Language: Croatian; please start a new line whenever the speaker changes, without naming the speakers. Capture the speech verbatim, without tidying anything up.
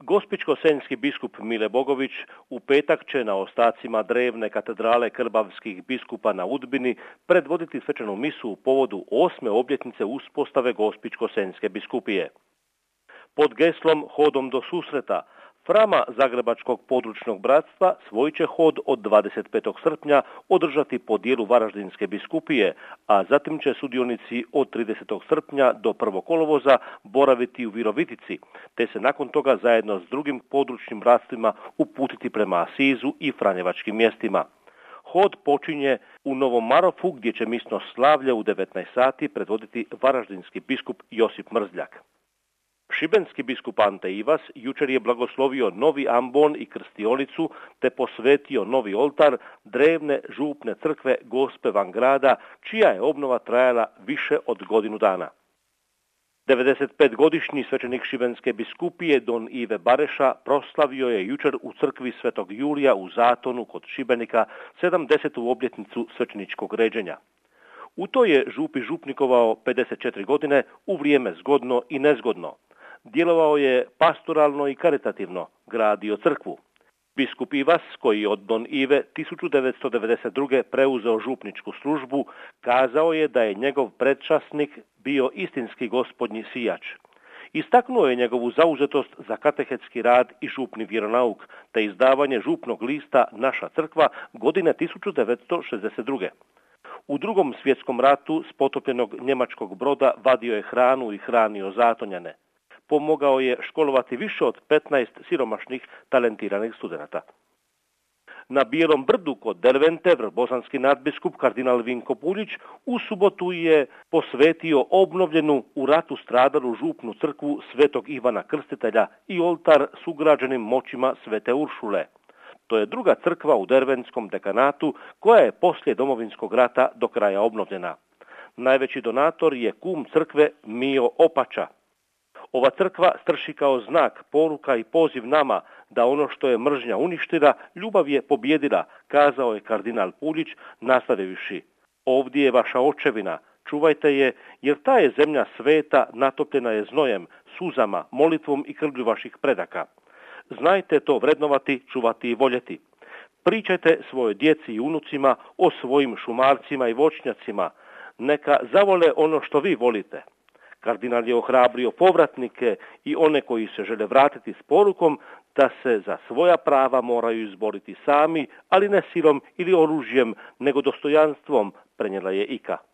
Gospićko-senjski biskup Mile Bogović u petak će na ostacima drevne katedrale krbavskih biskupa na Udbini predvoditi svečanu misu u povodu osme obljetnice uspostave Gospićko-senjske biskupije. Pod geslom Hodom do susreta Frama Zagrebačkog područnog bratstva svoj će hod od dvadeset petog srpnja održati po dijelu Varaždinske biskupije, a zatim će sudionici od tridesetog srpnja do prvog kolovoza boraviti u Virovitici, te se nakon toga zajedno s drugim područnim bratstvima uputiti prema Asizu i Franjevačkim mjestima. Hod počinje u Novom Marofu, gdje će misno slavlje u devetnaest sati predvoditi varaždinski biskup Josip Mrzljak. Šibenski biskup Ante Ivas jučer je blagoslovio novi ambon i krstionicu te posvetio novi oltar drevne župne crkve Gospe van grada, čija je obnova trajala više od godinu dana. devedesetpetogodišnji svećenik Šibenske biskupije Don Ive Bareša proslavio je jučer u crkvi Svetog Julija u Zatonu kod Šibenika sedamdesetu obljetnicu svećeničkog ređenja. U to je župi župnikovao pedeset četiri godine u vrijeme zgodno i nezgodno. Djelovao je pastoralno i karitativno, gradio crkvu. Biskup Ivas, koji je od Don Ive tisuću devetsto devedeset druge preuzeo župničku službu, kazao je da je njegov predčasnik bio istinski gospodnji sijač. Istaknuo je njegovu zauzetost za katehetski rad i župni vjeronauk, te izdavanje župnog lista Naša crkva godine tisuću devetsto šezdeset druge. U drugom svjetskom ratu s potopljenog njemačkog broda vadio je hranu i hranio zatonjane. Pomogao je školovati više od petnaest siromašnih talentiranih studenata. Na Bijelom brdu kod Dervente bosanski nadbiskup kardinal Vinko Puljić u subotu je posvetio obnovljenu u ratu stradalu župnu crkvu Svetog Ivana Krstitelja i oltar s ugrađenim moćima Svete Uršule. To je druga crkva u Derventskom dekanatu koja je poslije Domovinskog rata do kraja obnovljena. Najveći donator je kum crkve Mio Opača. Ova crkva strši kao znak, poruka i poziv nama da ono što je mržnja uništila, ljubav je pobjedila, kazao je kardinal Puljić, nastavivši: ovdje je vaša očevina, čuvajte je, jer ta je zemlja sveta, natopljena je znojem, suzama, molitvom i krvlju vaših predaka. Znajte to vrednovati, čuvati i voljeti. Pričajte svojoj djeci i unucima o svojim šumarcima i voćnjacima. Neka zavole ono što vi volite. Kardinal je ohrabrio povratnike i one koji se žele vratiti s porukom da se za svoja prava moraju izboriti sami, ali ne silom ili oružjem, nego dostojanstvom, prenijela je Ika.